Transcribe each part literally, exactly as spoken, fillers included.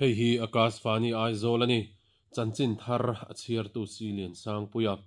Hei hi Akashvani Aizawl a ni. Chanchin thar a chhiartu si Lian Sangpuia.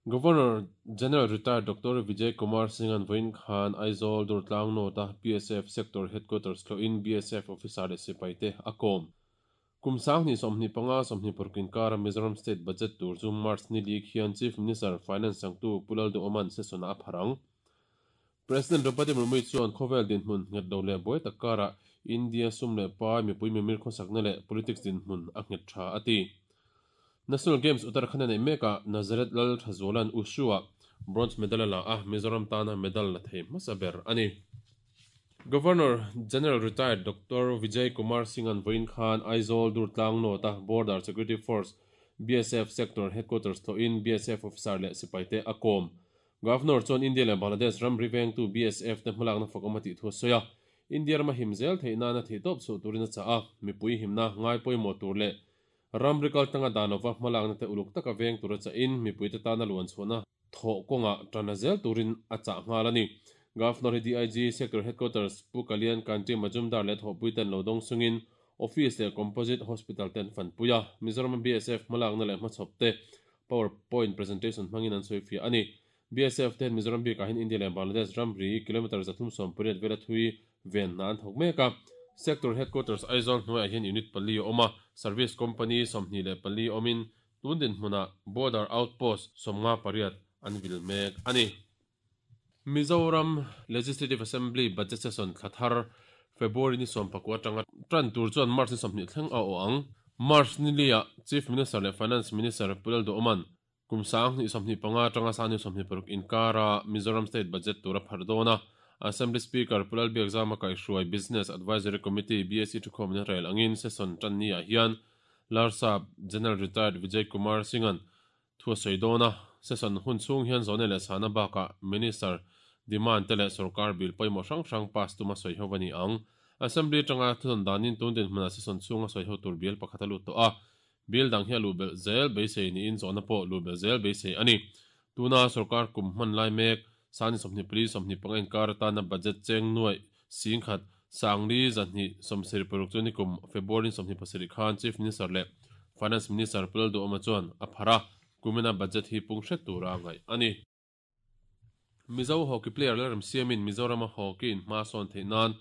Governor General Retired Doctor Vijay Kumar Singh an vawiin khan Aizawl Durtlang North-a B S F Sector Headquarters tlawhin B S F officer leh sipaite a kawm. Kum sanghnih sawmhnih panga sawmhnih paruk inkara Mizoram State Budget tur chu March ni li khian Chief Minister Finance changtu Pu Lalduhoma'n session a pharh ang. President Draupadi Murmu chuan khawvel dinhmun nghet lo leh buai tak karah India sum leh pai, mipui mimir khawsakna leh politics dinhmun a nghet tha a ti. National Games Uttarakhand a neih mekah Nazareth Lal Thazuala'n Wushu-ah bronze medal a la a, Mizoram tana medal la thei hmasa ber a ni. Governor General Retired Doctor Vijay Kumar Singh an vawiin khan Aizawl Durtlang North-a Border Security Force B S F Sector Headquarters tlawhin B S F officer leh sipaite a kawm. Governor chuan India leh Bangladesh ramri vengtu B S F te hmalakna fakawm a tih thu a sawi a. India rama him zel theih nana theihtawp chhuah turin a chah a, mipui himna ngai pawimawh tur leh ramri kaltanga dan lova hmalakna te uluk taka veng tur a chahin mipui te tana luan chhuahna thawh kawngah tan a zel turin a chah nghal a ni. Governor hi D I G Sector Headquarters Pu Kalyan Kanti Majumdar leh thawhpui ten lo dawng sungin Office leh Composite Hospital ten fanpui a, Mizoram B S F hmalakna leh hmachhawp te PowerPoint presentation hmangin an sawi fiah a ni. B S F ten Mizoram bikah hian India leh Bangladesh ramri kilometre zathum sawm pariat vela thui ven hna an thawk mek a. Sector Headquarters Aizawl hnuaiah hian unit pali a awm a, Service Company sawmhnih leh pali awmin tun dinhmunah Border Outpost sawmnga pariat an vil mek a ni. Mizoram Legislative Assembly Budget Session thla thar February ni sawm pakua atanga tan tur chuan March ni sawmhnih thleng a awh ang. March ni liah Chief Minister leh Finance Minister Pu Lalduhoma'n kum sanghnih sawmhnih panga atanga sanghnih sawmhnih paruk inkara Mizoram State Budget tur a pharh dawn a. Assembly Speaker Pu Lalbiakzama kaihhruai Business Advisory Committee B A C thukhawmna rel angin session tan ni ah hian Larsap General Retired Vijay Kumar Singh-a'n thu a sawi dawn a. Session hun chhung hian zawhna leh chhana bakah Minister demand te leh sorkar bill pawimawh hrang hrang pass tuma sawi ho a ni ang. Assembly atanga thudawn danin tun dinhmunah session chhunga sawi ho tur bill pakhat a lut tawh a. Bill dang hi a luh belh zel beisei niin zawhna pawh luh belh zel beisei a ni. Tuna sorkar kum hman lai mek sani sawmhnih pali sawmhnih panga inkar atana budget cheng nuai singkhat sangli zahnih sawmsarih paruk chu nikum February sawmhnih pasarih khan Chief Minister leh Finance Minister Pu Lalduhoma chuan a pharh a, kumina budget hi pung hret tura ngaih a ni. Mizo hockey player Lalremsiamin Mizorama hockey in hma sawn theih nan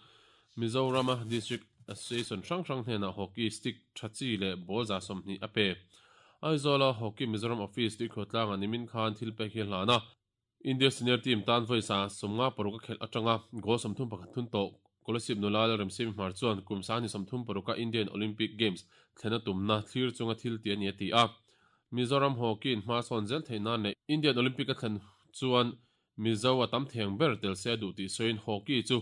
Mizorama District Association hrang hrang hnenah hockey stick tha chi leh ball za sawmhnih a pe. Aizawla Hockey Mizoram Office tuikhawtlangah nimin khan thil pek hi a hlan a. India senior team tan vawi sa sawmnga paruk a khelh atanga goal sawmthum pakhat thun tawh Kolasib nula Lalremsiami Hmar chuan kum sanghnih sawmthum paruka Indian Olympic Games thlena tumna thlir chunga thil ti a ni a ti a. Mizoram hockey in hma sawn zel theih nan leh Indian Olympic a thlen chuan Mizo a tam theng ber tel se a duh tih sawiin hockey chu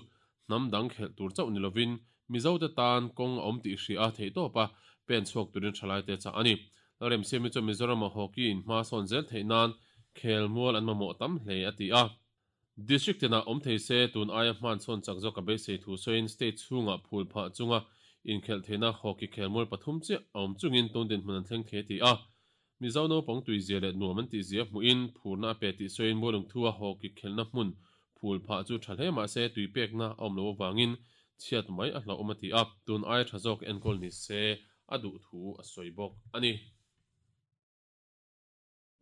hnam dang khelh tur chauh ni lovin Mizo te tan kawng a awm tih hria a theihtawp a pen chhuak turin thalai te chah a ni. Lalremsiami chuan Mizorama hockey in hma sawn zel theih nan khel mual an mamawh tam hle a ti a. District tinah awm thei se tun aia hman sawn chak zawk a beisei thu sawiin state chhungah phul phah chunga inkhelh theihna hockey khel mual pathum chiah a awm chungin tun dinhmun an thleng thei a ti a. Mizo naupang tui zia leh nuam an tih zia hmuhin phurna a pe tih sawiin Mualung thua hockey khelhna hmun phul phah chu tha hle mahse tui pekna a awm lo avangin chhiat mai a hlauhawm a ti a, tun aia tha zawk enkawl ni se a duh thu a sawi bawk a ni.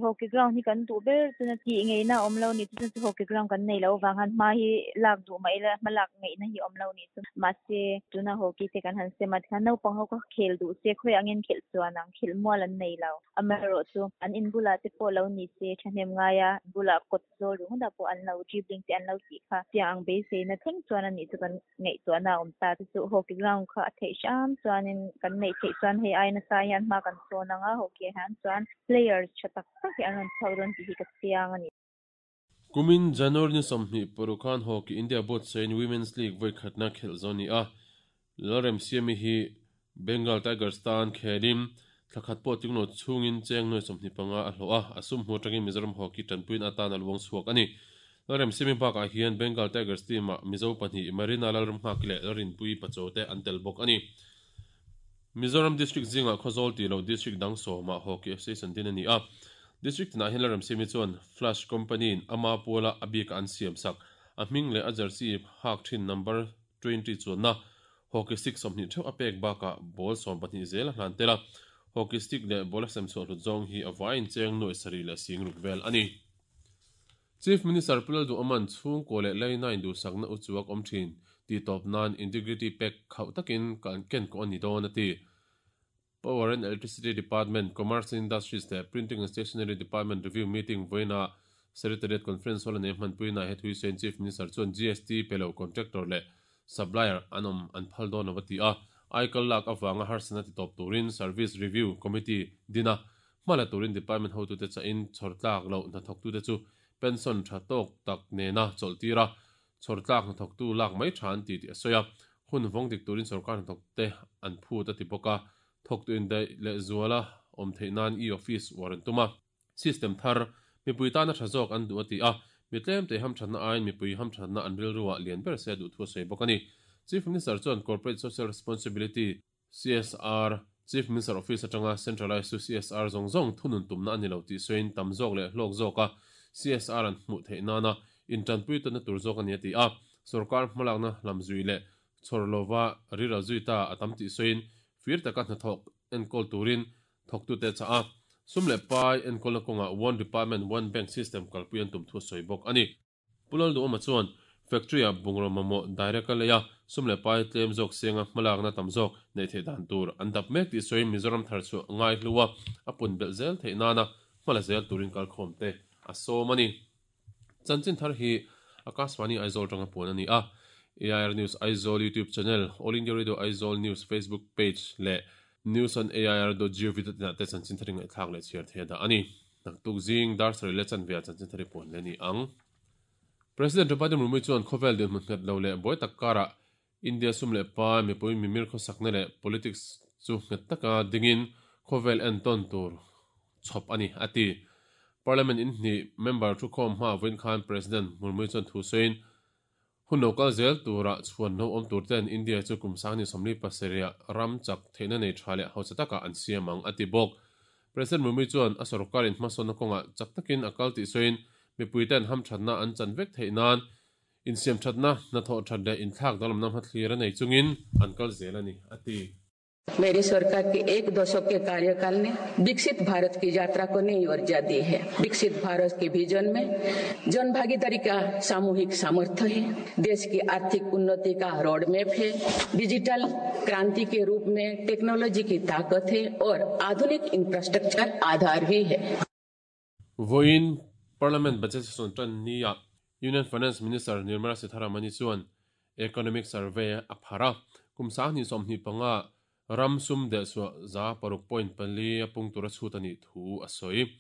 Hockey ground hi kan duh ber chuna tih ngeina awm lo ni chu chu hockey ground kan nei lo wang han hma hi lak duh mai la hma lak ngeina hi awm lo ni chu mahse tuna hockey te kan han sema khan naupang ho ka khel duh se khoi angin khel chuan ang khel mual an nei lo amaherawh chu an in bula te pawh lo ni se thahnem ngaia bula kawt zawl ringawt ah pawh an lo dribbling te an lo tih kha tiang ang beisei na thleng chuan ani chu kan ngaihtuahna a awm ta chu chu hockey ground kha a theih hram chuanin kan neih theih chuan hei ai nasa hian hma kan sawn anga hockey ah hian chuan players tha tak tak hi an rawn chhuak dawn tih hi ka chiang a ni. Kumin January ni sawmhnih paruk khan Hockey India board sain Women's League vawi khatna khelh zo ni a. Lalremsiami hi Bengal Tigers tan khelin thlakhat pawh tinglo chungin cheng nuai sawmhnih panga a hlawh a, a sum hmu atangin Mizoram Hockey tanpuiin atan a luang chhuak a ni. Lalremsiami bakah hian Bengal Tigers team ah Mizo pahnih Marina Lalramnghaki leh Lalrinpui Pachaw te an tel bawk a ni. Mizoram District zingah Khawzawl tih loh District dang sawmah Hockey Association din a ni a. District tinah hian Lalremsiami chuan Flash Company in ama puala a bika an siam sak a hming leh a jersey hak thin number twenty chuanna Hockey stick sawmhnih theuh a pek bakah ball sawm pahnih zel a hlan tel a. Hockey stick leh ball a sem chhuah hlut zawng hi a vaiin cheng nuai sarih leh sing ruk vel a ni. Chief Minister Pu Lalduhoma'n chhungkaw leh laina induhsakna u chuak awm thin tih tawp nan Integrity Pact khauh takin kan ken kawh a ni dawn a ti. Power and Electricity Department, Commerce and Industries leh Printing and Stationery Department review meeting vawiinah Secretariat Conference Hall a nei hmanpuina he thuisawiin Chief Minister chuan G S T pe lo contractor leh supplier an awm an phal dawn lo a ti a. Aikal lak avanga harsatna ti tawp turin Service Review Committee din a, hma la turin department hotute chahin chhawr tlak loh hnathawktute chu pension tha tawk tak nena chawlh tir a, chhawr tlak hnathawktu lak mai tha an ti tih a sawi a. Hun vawng dik turin sorkar hnathawkte an phut a ti bawk a. Thawktu indaih leh zuala awm theih nan e-office uar an tum a, system thar mipui tana tha zawk an duh a ti a. Mi tlem te hamthatna aiin mipui hamthatna an rilruah lian ber se a duh thu a sawi bawk a ni. Chief Minister chuan Corporate Social Responsibility, C S R, Chief Minister Office atanga centralized chu C S R zawng zawng thunun tumna a ni lo tih sawiin tam zawk leh hlawk zawk a C S R an hmuh theih nana intanpui tawna tur zawk a ni a ti a. Sorkar hmalakna lamzui leh chhawr lova riral zui ta a tam tih sawiin fir taka hnathawk enkawl turin thawktute chah a. Sum leh pai enkawlna kawngah one department one bank system kalpui an tum thu a sawi bawk a ni. Pu Lalduhoma chuan factory a bungraw mamawh direct a lei a, sum leh pai tlem zawk senga hmalakna tam zawk neih theih dan tur an dap mek tih sawiin Mizoram thar chu ngai hlu a, a pun belh zel theih nana hmala zel turin kalkhawm te a sawm a ni. Chanchin thar hi Akashvani Aizawl tanga puan a ni a. A I R News Aizawl YouTube channel, All India Radio Aizawl News Facebook page leh news on A I R dot gov dot in ah te chanchin thar ngaihthlak leh chhiar thei dah a ni. Naktuk zing dar sarih leh chanve ah chanchin thar hi puan le ni ang. President Draupadi Murmu chuan khawvel dinhmun nghet lo leh buai tak karah India sum leh pai mipui mimir khawsakna leh politics chu nghet taka dingin khawvel entawn tur chhawp a ni a ti. Parliament in hnih member thu khawm hma vawiin khan President Murmu chuan thu sawiin hun lo kal zel turah chhuan lo awm tur ten India chu kum sangni sawmli pasarih ram chak theihna nei tha leh hausa taka an siam ang a ti bawk. President Murmu chuan a sorkarin hmasawnna kawngah chak takin a kal tih sawiin mipui ten hamthatna an chan vek theih nan insiam thatna hnathawh that leh inthlak danglamna hmathlir a nei chungin an kal zel a ni a ti. मेरी सरकार के एक दशक के कार्यकाल ने विकसित भारत की यात्रा को नई ऊर्जा दी है। विकसित भारत के विजन में जन भागीदारी का सामूहिक सामर्थ्य है, देश की आर्थिक उन्नति का रोड मैप है, डिजिटल क्रांति के रूप में टेक्नोलॉजी की ताकत है और आधुनिक इंफ्रास्ट्रक्चर आधार भी है। Vawiin Parliament budget session tan ni a Union Finance Minister Nirmala Sitharaman chuan Economic Survey a phar a. Kum sanghnih sawmhnih panga ram sum deh chhuah za paruk point pali a pung tura chhut a nih thu a sawi.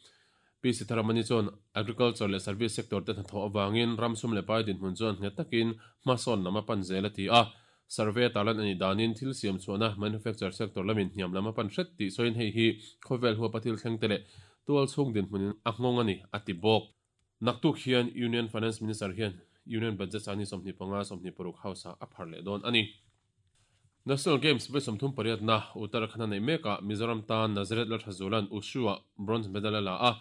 Pi Sitharaman chuan agriculture leh service sector te hnathawh awangin ram sum leh pai dinhmun chuan nghet takin hmasawn lam a pan zel a ti a. Survey tarlan ani danin thil siam chhuahna manufacture sector lamin hniam lam a pan hret tih sawiin hei hi khawvel huapa thil thleng te leh tual chhung dinhmunin a nghawng a ni a ti bawk. Naktuk hian Union Finance Minister hian Union Budget sangni sawmhnih panga sawmhnih paruk house a phar leh dawn a ni. National Games vawi sawmthum pariat na Uttarakhand nei mekah Mizoram tan Nazareth Lalthazuala'n Wushu ah bronze medal a la a.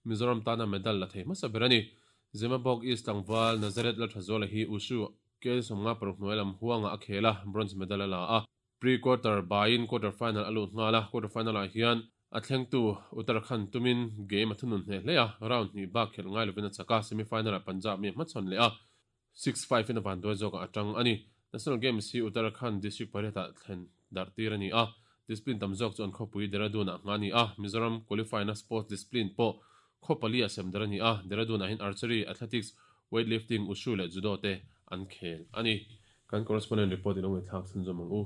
Mizoram tana medal la thei hmasa ber a ni. Zemabawk East tlangval Nazareth Lalthazuala hi Wushu K G sawmnga paruk hnuai lam huanga a khel a, bronze medal a la a. Pre-quarter bain quarter final a lut nghal a. Quarter final ah hian a thlengtu Uttarakhand tumin game a thunun hne hle a, round hnih bak khelh ngai lovin a chak a. Semi final ah Punjab mi hmachhawn leh a, six five in a van duai zawkah a tang a ni. National Games hi Uttarakhand district pariat ah thlen darh tir a ni a. Discipline tam zawk chu an khawpui Dehradun ah nga a ni a. Mizoram qualify na sports discipline pawh khaw pali a sem dar a ni a. Dehradun ah hian archery, athletics, weightlifting, wushu leh judo te an khel a ni. Kan correspondent report i lo ngaihthlak chhunzawm ang u.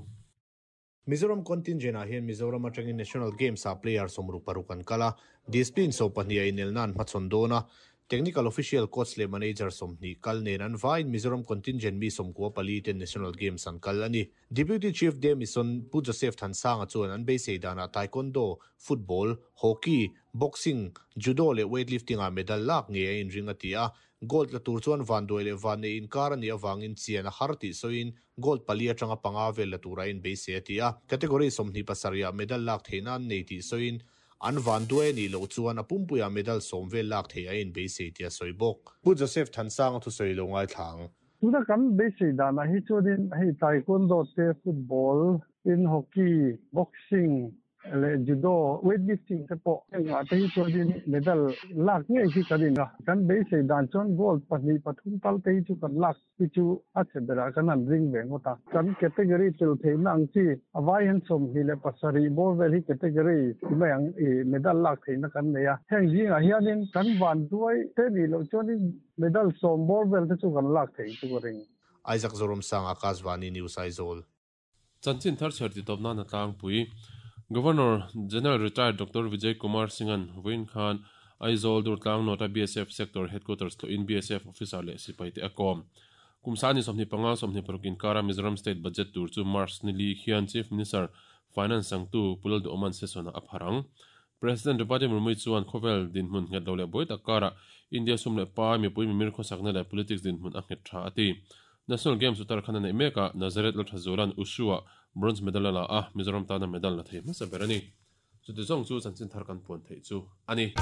Mizoram contingent ah hian Mizoram atangin National Games a player sawmruk paruk an kal a. Discipline sawm pahnih a inel nan hmachhawn dawn a. Technical official, coach leh manager sawmhnih kal nen an vaiin Mizoram contingent mi sawmkua pali ten National Games an kal a ni. Deputy Chief de Mission Pu Joseph Thansanga chuan an beisei danah taekwondo, football, hockey, boxing, judo leh weightlifting ah medal lak nge a inring a ti a. Gold la tur chuan van duai leh van nei inkar a nih awangin chian a har tih sawiin gold pali atanga panga vel la tura in beisei a ti a. Category sawmhnih pasarih ah medal lak theihna an nei tih sawiin an van duai a nih loh chuan a pumpuiah medal sawm vel lak theih a in beisei tih a sawi bawk. Pu Joseph Thansanga thu sawi lo ngaithla ang. Tuna kan beisei danah hi chuanin hei taekwondo te football in hockey boxing le judo weightlifting te pawh engah te hi chuanin medal lak ngei hi kan in a kan beisei dan chuan gold pahnih pathum tal te hi chu kan lak hi chu a che berah kan han ring ve ngawt a kan category tel theihna ang chi a vai hian sawmhnih leh pasarih bawr vel hi category ti mai ang ih medal lak theihna kan nei a heng zingah hianin kan van duai te nih loh chuanin medal sawm bawr vel te chu kan lak theih chu ka ring. Isaac Zoromsang Akashvani News Aizawl. Chanchin thar chher ti tawp nan a tlangpui. Governor General Retired Doctor Vijay Kumar Singh-an vawiin khan Aizawl Durtlang North-a B S F Sector Headquarters tlawhin B S F officer leh sipai te a kawm. Kum sani sawmhnih panga sawmhnih paruk inkara Mizoram State Budget tur chu March ni li khian Chief Minister Finance sangtu Pu Lalduhawma'n session-ah a phar ang. President Draupadi Murmu chuan khawvel dinhmun nghet lo leh buai tak karah India sum leh pai mipui mimir khawsakna leh politics dinhmun a nghet tha a ti. National Games Uttarakhand a neih mekah Nazareth Lalthazuala'n Wushu-ah bronze medal a la a, Mizoram tana medal la thei hmasa ber a ni. Chuti zawng chu chanchin thar kan puan theih chu a ni.